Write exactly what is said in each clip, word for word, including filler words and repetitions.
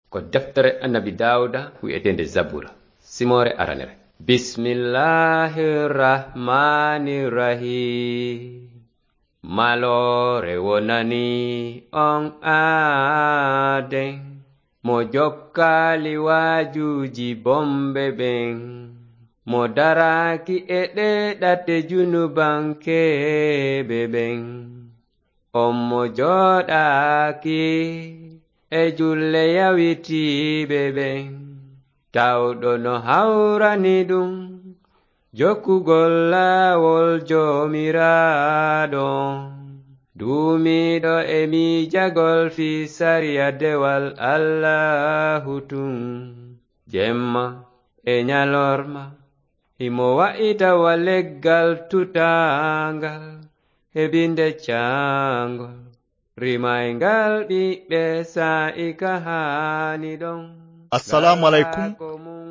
Ko deftere Annabi Daawuda wi'eteende Zabura, simoore aranere. Bismillahir Rahmanir Rahim. Maloore wonani on aaden, mo jokkaali waajuuji bonɓe ɓen, mo daraaki e ɗee ɗate junubankeeɓe ɓen. On mo jooɗaaki e julle yawitiiɓe ɓen, tawɗo no hawrani ɗum jokkugol laawol Joomiraaɗo on, duumiiɗo e miijagol fii sariya dewal Allaahu tun, jemma e ɲalorma, himo wa'ita wa leggal tutaangal e binde caangol, rimayngal ɓiɓɓe saa'i ka haani ɗon. Assalaamu aleykum.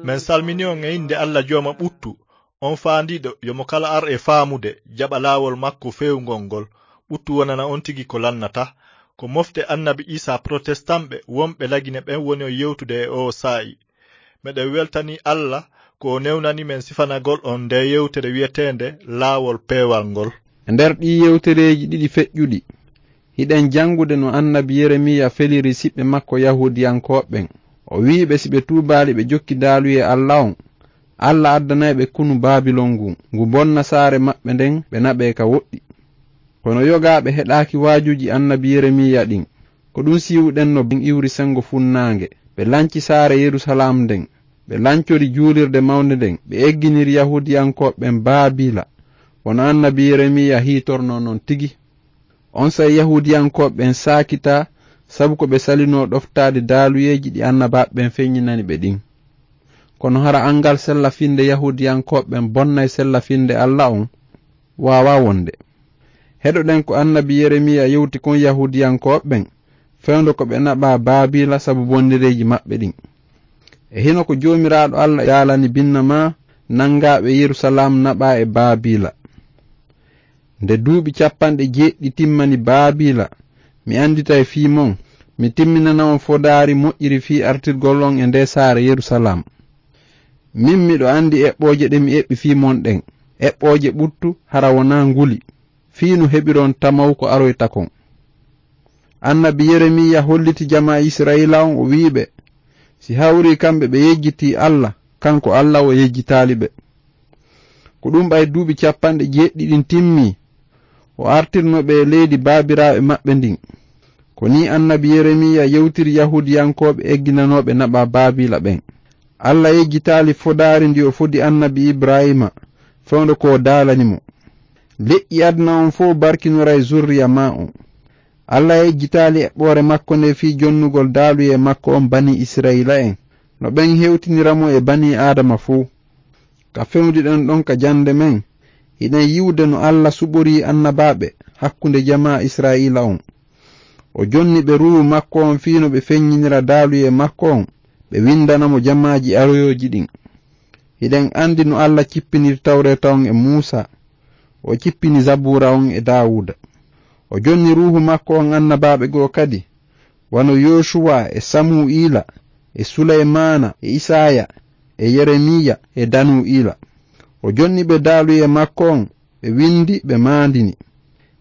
Men salmini on e innde Alla Jooma ɓuttu, on faandiiɗo yo mo kala ar e faamude, jaɓa laawol makko feewngol ngol. Ɓuttu wonana on tigi ko lannata. Ko mofte Annabi Iisaa protestamɓe wonɓe Lagine ɓen woni on yewtude e oo saa'i. Meɗen weltanii Alla ko o newnani men sifanagol on ndee yewtere wi'eteende Laawol Peewal ngol. E nder ɗii yewtereeji ɗiɗi feƴƴuɗi, hiɗen janngude no Annabi Yeremiya feliri siɓɓe makko Yahuudiyankooɓe ɓen. O wi'i ɓe si ɓe tuubaali ɓe jokki daaluyee Alla on, Alla addanay ɓe konu Baabilon ngun, ngu bonna saare maɓɓe nden, ɓe naɓee ka woɗɗi. Kono yogaaɓe heɗaaki waajuuji Annabi Yeremiya ɗin. Ko ɗun siiwuɗen no ɓen iwri senngo funnaange. Ɓe lanci saare Yerusalaam nden. Ɓe lancori juulirde mawnde nden. Ɓe egginiri Yahuudiyankooɓe ɓen Baabiila, wano Annabi Yeremiya hiitornoo non tigi. Onsay Yahuudiyankooɓe ɓen saakitaa, sabu ko ɓe salinoo ɗoftaade daaluyeeji ɗi annabaaɓe ɓen feɲɲinani ɓe ɗin. Kono hara anngal sella finnde Yahuudiyankooɓe ɓen bonnay sella finnde Alla on? Waawaa wonde. Heɗoɗen ko Annabi Yeremiya yewti kon Yahuudiyankooɓe ɓen, fewndo ko ɓe naɓaa Baabiila sabu bonnereeji maɓɓe ɗin. E hino ko Joomiraaɗo Alla daalani binnamaa nangaaɓe Yerusalaam naɓaa e Baabiila. Nde duuɓi cappanɗe jeeɗiɗi timmani Baabiila, mi annditay fii mon, mi timminana on fodaari moƴƴiri fii artirgol on e ndee saare Yerusalaam. Min miɗo anndi eɓɓooje ɗe mi eɓɓi fii mon ɗen, eɓɓooje ɓuttu hara wonaa nguli, fii no heɓiron tamaw ko aroyta kon. Annabi Yeremiya holliti jamaa Isra'iila on, o wi'i ɓe, si hawrii kamɓe ɓe yejjitii Alla, kanko Alla o yejjitaali ɓe. Ko ɗun ɓay duuɓi cappanɗe jeeɗiɗi ɗin timmii, o artirno ɓe e leydi baabiraaɓe maɓɓe ndin. Ko nii Annabi Yeremiya yewtiri Yahuudiyankooɓe egginanooɓe naɓaa Baabiila ɓen. Alla yejjitaali fodaari ndi o fodi Annabi Ibrahiima, fewndo ko o daalani mo. Leƴƴi aduna on fow barkinoray zurriya maa on. Alla yejjitaali eɓɓoore makko nde fii jonnugol daaluyee makko on banii Isra'iila'en, no ɓen hewtinira mo e banii Aadama fow. Ka fewjuɗen ɗon ka jannde men, hiɗen yi'ude no Alla suɓorii annabaaɓe hakkunde jamaa Isra'iila on. O jonni ɓe Ruuhu makko on fii no ɓe feɲɲinira daaluyee makko on, ɓe winndana mo jamaaji aroyooji ɗin. Hiɗen anndi no Alla cippiniri Tawreeta on e Muusaa, o cippini Zabuura on e Daawuuda. O jonni Ruuhu makko on annabaaɓe goo kadi, wano Yoosuwa e Samu'iila e Suleymaana e Isaaya e Yeremiya e Danu'iila. O jonni ɓe daaluyee makko on, ɓe winndi, ɓe maandini.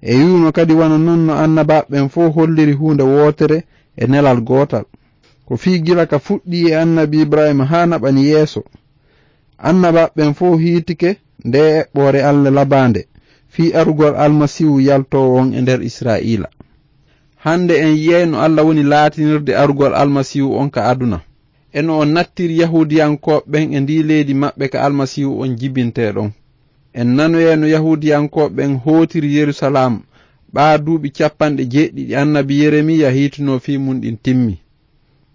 E yi'uno kadi wano non no annabaaɓe ɓen fow holliri huunde wootere e nelal gootal. Ko fii gila ka fuɗɗii e Annabi Ibrahiima haa naɓani yeeso, annabaaɓe ɓen fow hiitike ndee eɓɓoore Alla labaande fii arugol Almasiihu yaltoowo on e nder Israa'iila. Hande en yi'ay no Alla woni laatinirde arugol Almasiihu on ka aduna, e no o nattiri Yahuudiyankooɓe ɓen e ndii leydi maɓɓe ka Almasiihu on jibintee ɗon. En nanoyay no Yahuudiyankooɓe ɓen hootiri Yerusalaam ɓaa duuɓi cappanɗe jeeɗiɗi Annabi Yeremiya hiitunoo fii mun ɗin timmi.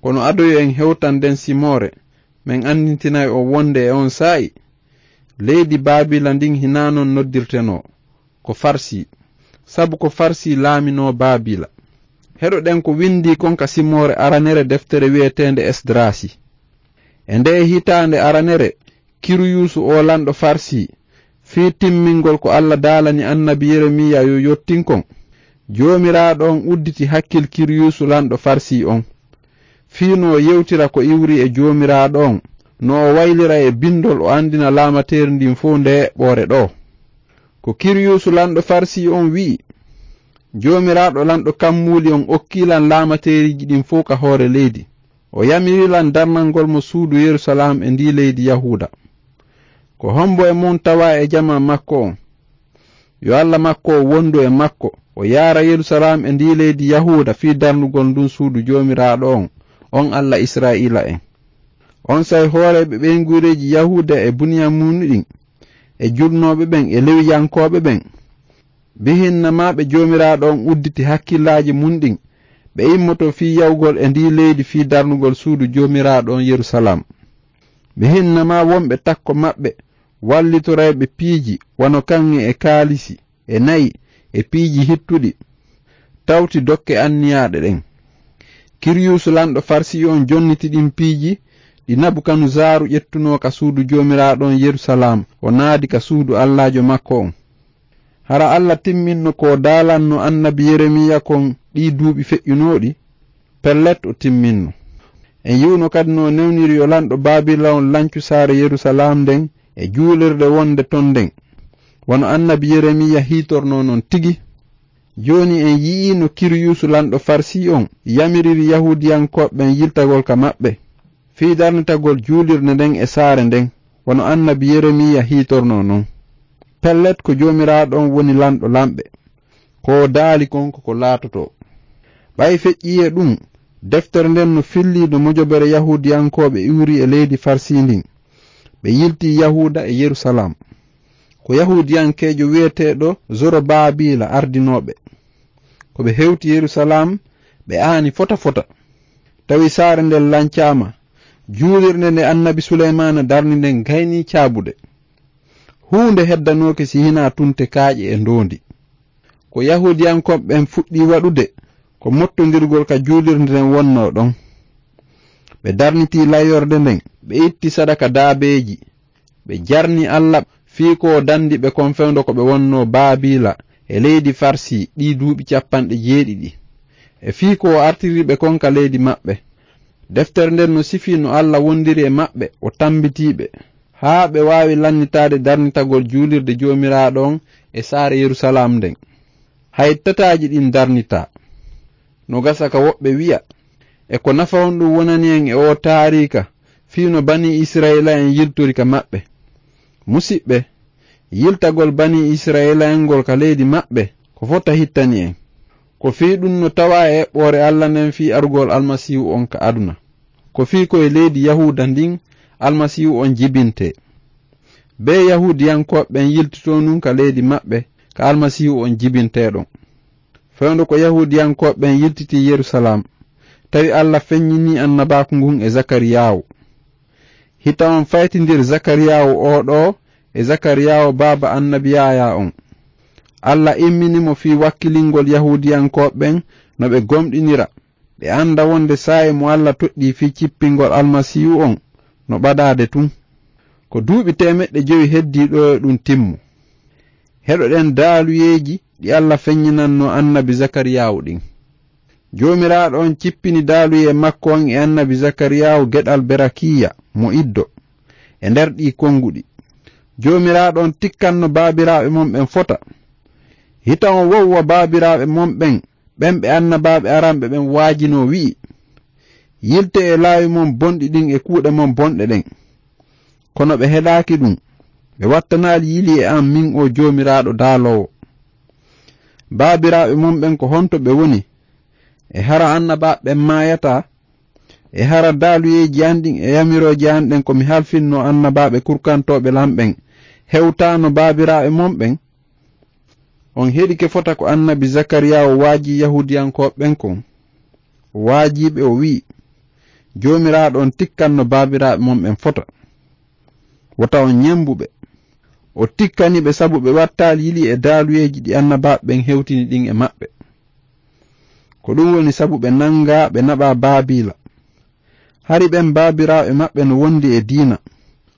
Kono ado yo en hewtan nden simoore, men anndintinay on wonde e on saa'i, leydi Baabila ndin hinaa non noddirtenoo, ko Farsi, sabu ko Farsi laaminoo Baabila. Heɗoɗen ko windii kon ka simoore aranere deftere wi'eteende Esdraasi. E ndee hitaande aranere, Kiriyusu oo lanɗo Farsi, fii timmingol ko Alla daalani annabi Yeremiya yo yottin kon, Joomiraaɗo on udditi hakkil Kiriyusu lanɗo Farsi on. fii no o yewtira ko iwri e Joomiraaɗo on, no o waylira e bindol, o anndina laamateeri ndin fow nde eɓɓoore ɗoo. Ko Kiriyusu lanɗo Farsi on wi'i, Joomiraaɗo lanɗo kammuuli on okkii lan laamateeriiji ɗin fow ka hoore leydi. O yamiri lan darnangol mo suudu Yerusalaam e ndii leydi Yahuuda. Ko hombo e mon tawaa e jamaa makko on? Yo Alla makko on wondu e makko, o yaara Yerusalaam e ndii leydi Yahuuda fii darnugol ndun suudu Joomiraaɗo on, on Alla Isra'iila'en. Onsay hooreeɓe ɓeynguureeji Yahuuda e Buniyaamuunu ɗin, e julnooɓe ɓen e Lewiyankooɓe ɓen, bihinnama ɓe Joomiraaɗo on udditi hakkillaaji mun ɗin, ɓe immoto fii yawgol e ndii leydi fii darnugol suudu Joomiraaɗo on Yerusalaam. Bihinnama wonɓe takko maɓɓe wallitorayɓe piiji wano kaŋŋe e kaalisi e na'i e piiji hittuɗi, tawti dokke anniyaaɗe ɗen. Kiriyusu lanɗo Farsi on jonniti ɗin piiji ɗi Nabukanuzaaru ƴettunoo ka suudu Joomiraaɗo on Yerusalaam, o naadi ka suudu Allaajo makko on. Hara Alla timminno ko daalanno annabi Yeremiya kon ɗii duuɓi feƴƴunooɗi? Pellet, o timminno. En yi'uno kadi no newniri yo lanɗo Baabila on lancu saare Yerusalaam nden e juulirde wonde ton nden, wano annabi Yeremiya hiitornoo non tigi. Jooni en yi'ii no Kiriyusu lanɗo Farsi on yamiriri Yahuudiyankooɓe ɓen yiltagol ka maɓɓe, fii darnitagol juulirde nden e saare nden, wano annabi Yeremiya hiitornoo non. Pellet, ko Joomiraaɗo on woni lanɗo lanɓe. Ko o daali kon ko ko laatotoo. Ɓay feƴƴii e ɗun, deftere nden no fillii no mojobere Yahuudiyankooɓe iwri e leydi Farsi ndin. Ɓe yiltii Yahuuda e Yerusalaam. Ko Yahuudiyankeejo wi'eteeɗo Zorobaabiila ardinoo ɓe. Ko ɓe hewti Yerusalaam, ɓe aani fota fota. Tawi saare nden lancaama, juulirde nde annabi Suleymaana darni nden gaynii caabude. Huunde heddanooke si hinaa tunte kaaƴe e ndoondi. Ko Yahuudiyankooɓe ɓen fuɗɗii waɗude, ko mottondirgol ka juulirde nden wonnoo ɗon. Ɓe darnitii layyorde nden, ɓe itti sadaka daabeeji, ɓe jarni Alla fii ko o dandi ɓe kon fewndo ko ɓe wonnoo Baabiila e leydi Farsi ɗii duuɓi capanɗe jeeɗiɗi, e fii ko o artiri ɓe kon ka leydi maɓɓe. Deftere nden no sifii no Alla wondiri e maɓɓe, o tambitii ɓe, haa ɓe waawi lannitaade darnitagol juulirde Joomiraaɗo on e saare Yerusalaam nden. Hay tataaji ɗin darnitaa. No gasa ka woɓɓe wi'a, e ko nafa honɗun wonani en e oo taariika, fii no Banii Isra'iila'en yiltori ka maɓɓe? Musiɓɓe, yiltagol Banii Isra'iila'en ngol ka leydi maɓɓe, ko fota hittani en. Ko fii ɗun no tawaa e eɓɓoore Alla nden fii arugol Almasiihu on ka aduna. Ko fii ko e leydi Yahuuda ndin Almasiihu on jibintee. Bee Yahuudiyankooɓe ɓen yiltitoo nun ka leydi maɓɓe ka Almasiihu on jibintee ɗon. Fewndo ko Yahuudiyankooɓe ɓen yiltitii Yerusalaam, tawi Alla feɲɲinii annabaaku ngun e Zakariyaawu. Hita on faytindir Zakariyaawu oo ɗoo e Zakariyaawu baaba annabi Yaayaa on. Alla immini mo fii wakkilingol Yahuudiyankooɓe ɓen no ɓe gomɗinira, ɓe anda wonde saa'i mo Alla toɗɗii fii cippingol Almasiihu on no ɓadaade tun. Ko duuɓi teemeɗɗe jowi heddii ɗoo e ɗun timmu. Heɗoɗen daaluyeeji ɗi Alla feɲɲinannoo annabi Zakariyaawu ɗin. Joomiraaɗo on cippini daaluyee makko on e annabi Zakariyaawu geɗal Berakiya mo Iddo e nder ɗii konguɗi. Joomiraaɗo on tikkanno baabiraaɓe mon ɓen fota. Hita on wowwa baabiraaɓe mon ɓen, ɓen ɓe annabaaɓe aranɓe ɓen waajinoo, wi'i, "Yiltee e laawi mon bonɗi ɗin e kuuɗe mon bonɗe ɗen." Kono ɓe heɗaaki ɗun. Ɓe wattanaali yili e an, min oo Joomiraaɗo daaloowo. Baabiraaɓe mon ɓen, ko honto ɓe woni? E hara annabaaɓe ɓen maayataa? E hara daaluyeeji an ɗin e yamirooje an ɗen ko mi halfinnoo annabaaɓe kurkantooɓe lan ɓen hewtaano baabiraaɓe mon ɓen? On heɗike fota ko annabi Zakariyaawu waajii Yahuudiyankooɓe ɓen kon. O waajii ɓe, o wi'i, "Joomiraaɗo on tikkanno baabiraaɓe mon ɓen fota. Wota on ɲembu ɓe." O tikkani ɓe sabu ɓe wattaali yili e daaluyeeji ɗi annabaaɓe ɓen hewtini ɗin e maɓɓe. Ko ɗun woni sabu ɓe nangaa, ɓe naɓaa Baabiila. Hari ɓen baabiraaɓe maɓɓe no wondi e diina,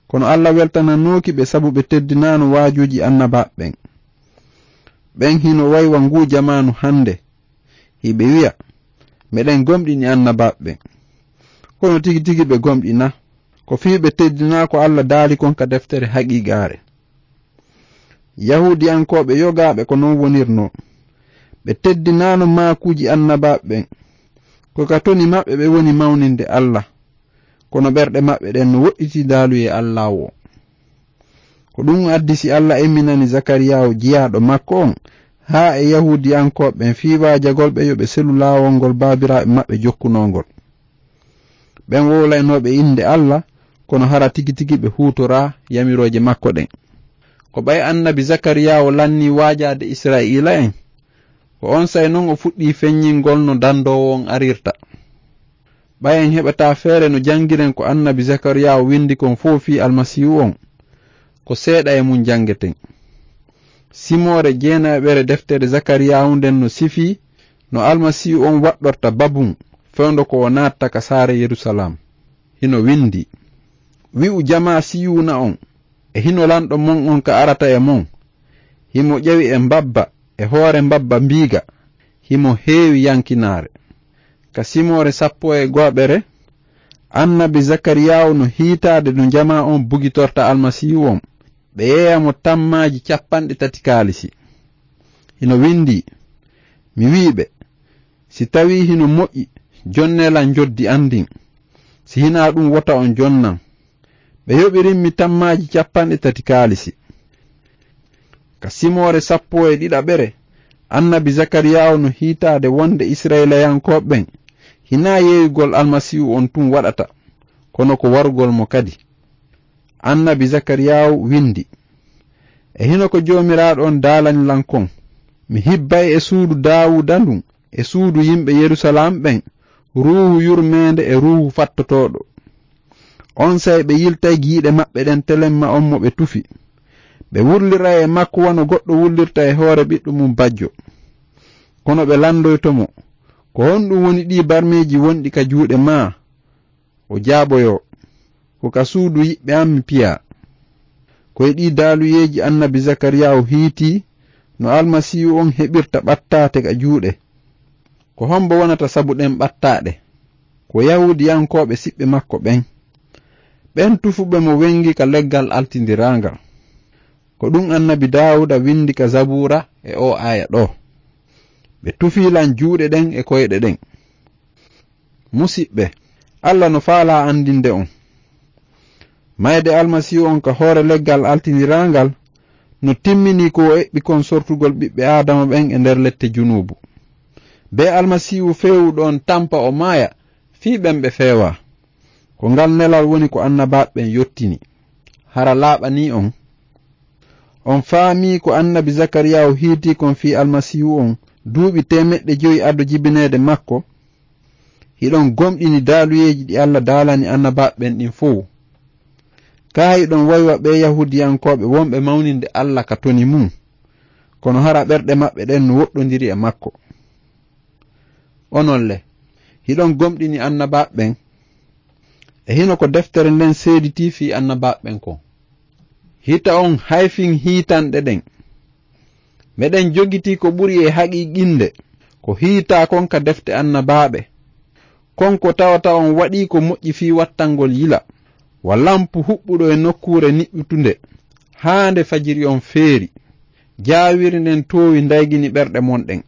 kono Alla weltananooki ɓe sabu ɓe teddinaano waajuuji annabaaɓe ɓen. Ɓen hino waywa nguu jamaanu hande, hiɓe wi'a, "Meɗen gomɗini annabaaɓe ɓen." Kono tigi tigi ɓe gomɗina. Ko fii ɓe teddinaa ko Alla daali kon ka deftere haqiiqaare. Yahuudiyankooɓe yogaaɓe ko non wonirnoo. Ɓe teddinaano maakuuji annabaaɓe ɓen. Ko ka toni maɓɓe ɓe woni mawninde Alla. Kono ɓerɗe maɓɓe ɗen no woɗɗitii daaluyee Alla o. Ko ɗum addi si Alla emminani Zakariyaawu jiyaaɗo makko on, haa e Yahuudiyankooɓe ɓen fii waajagol ɓe yo ɓe selu laawol ngol baabiraaɓe maɓɓe jokkunoo ngol. Ɓen wowlaynooɓe innde Alla, kono hara tigi tigi ɓe huutoraa yamirooje makko ɗen. Ko ɓay annabi Zakariyaawu lannii waajaade Israa'iila'en, ko onsay non o fuɗɗii feññingol no dandoowo on arirta. Ɓay en heɓataa feere no janngiren ko annabi Zakariyaawu winndi kon fow fii Almasiihu on, ko seeɗa e mun janngeten. Simoore jeenayeɓere deftere Zakariyaawu nden no sifii no Almasiihu on waɗɗorta babun fewndo ko o naatta ka saare Yerusalaam. Hino winndi, "Wi'u jamaa Siyuuna on, e hino lanɗo mon on ka arata e mon. Himo ƴewi e mbabba, e hoore mbabba mbiiga, himo heewi yankinaare." Ka simoore sappo e go'aɓere, annabi Zakariyaawu no hiitaade no jamaa on bugitorta Almasiihu on, ɓe yeeya mo tammaaji capanɗe tati kaalisi. Hino winndi, "Mi wi'i ɓe, si tawii hino moƴƴi, jonnee lan njoddi an ndin. Si hinaa ɗum, wota on jonnan." Ɓe yoɓirimmi tammaaji capanɗe tati kaalisi. Ka simoore sappo e ɗiɗaɓere, annabi Zakariyaawu no hiitaade wonde Isra'ilayankooɓe ɓen hinaa yeeyugol Almasiihu on tun waɗata, kono ko warugol mo kadi. Annabi Zakariyaawu winndi, "E hino ko Joomiraaɗo on daalani lan kon, mi hibbay e suudu Daawuda ndun, e suudu yimɓe Yerusalaam ɓen, ruuhu yurmeende e ruuhu fattotooɗo. Onsay ɓe yiltay giiɗe maɓɓe ɗen telemma on mo ɓe tufi. Ɓe wurliray e makko wano goɗɗo wullirta e hoore ɓiɗɗo mum bajjo." Kono ɓe landoyto mo, "Ko honɗum woni ɗii barmeeji wonɗi ka juuɗe maa?" O jaaboyoo, "Ko ka suudu yiɓɓe an mi piyaa." Ko e ɗii daaluyeeji annabi Zakariyaawu hiitii no Almasiihu on heɓirta ɓattaate ka juuɗe. Ko hombo wonata sabu ɗen ɓattaaɗe? Ko Yahuudiyankooɓe siɓɓe makko ɓen. Ɓen tufuɓe mo wengi ka leggal altindiraangal. Ko ɗum annabi Daawuda windi ka Zabuura e oo aaya ɗoo. Ɓe tufii lan juuɗe ɗen e koyɗe ɗen. Musiɓɓe, Alla no faalaa andinde on. Mayde Almasiihu on ka hoore leggal altindiraangal no timminii ko o eɓɓi kon sortugol ɓiɓɓe Aadama ɓen e nder lette junuubu. Bee Almasiihu feewuɗo on tampa o maaya fii ɓen ɓe feewaa. Ko ngal nelal woni ko annabaaɓe ɓen yottini. Hara laaɓanii on? On faamii ko annabi Zakariyaahu hiitii kon fii Almasiihu on duuɓi teemeɗɗe jowi ado jibineede makko? Hiɗon gomɗini daaluyeeji ɗi Alla daalani annabaaɓe ɓen ɗin fow. Kaa hiɗon waywa ɓee Yahuudiyankooɓe wonɓe mawninde Alla ka toni mum, kono hara ɓerɗe maɓɓe ɗen no woɗɗondiri e makko. Onon le, hiɗon gomɗini annabaaɓe ɓen? E hino ko deftere nden seeditii fii annabaaɓe ɓen kon? Hita on hayfin hiitanɗe ɗen. Meɗen jogitii ko ɓuri e haqiiqinde ko hiitaa kon ka defte annabaaɓe. Kon ko tawata on waɗii ko moƴƴi fii wattangol yila, wa lampu huɓɓuɗo e nokkuure niɓɓutunde, haa nde fajiri on feeri, jaawiri nden toowi ndaygini ɓerɗe mon ɗen.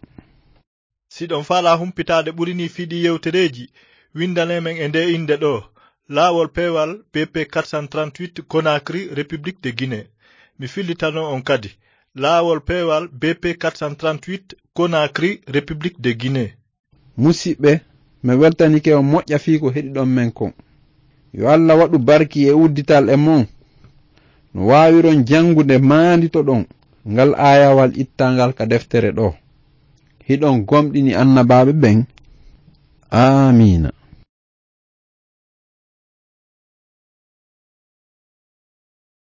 Si ɗon faalaa humpitaade ɓuri nii fii ɗii yewtereeji, windanee men e ndee innde ɗoo, Laawol Peewal B P quatre cent trente-huit, Conakry, République de Guinée. Mi fillitanoo on kadi, Laawol Peewal B P quatre cent trente-huit, Conakry, République de Guinée. Musiɓɓe, mi weltanike on moƴƴa fii ko heɗiɗon men kon. Yo Alla waɗu barki e uddital e mon. No waawiron janngude maanditoɗon ngal aayawal ittangal ka deftere ɗoo. Hiɗon gomɗini annabaaɓe ɓen? Aamiina.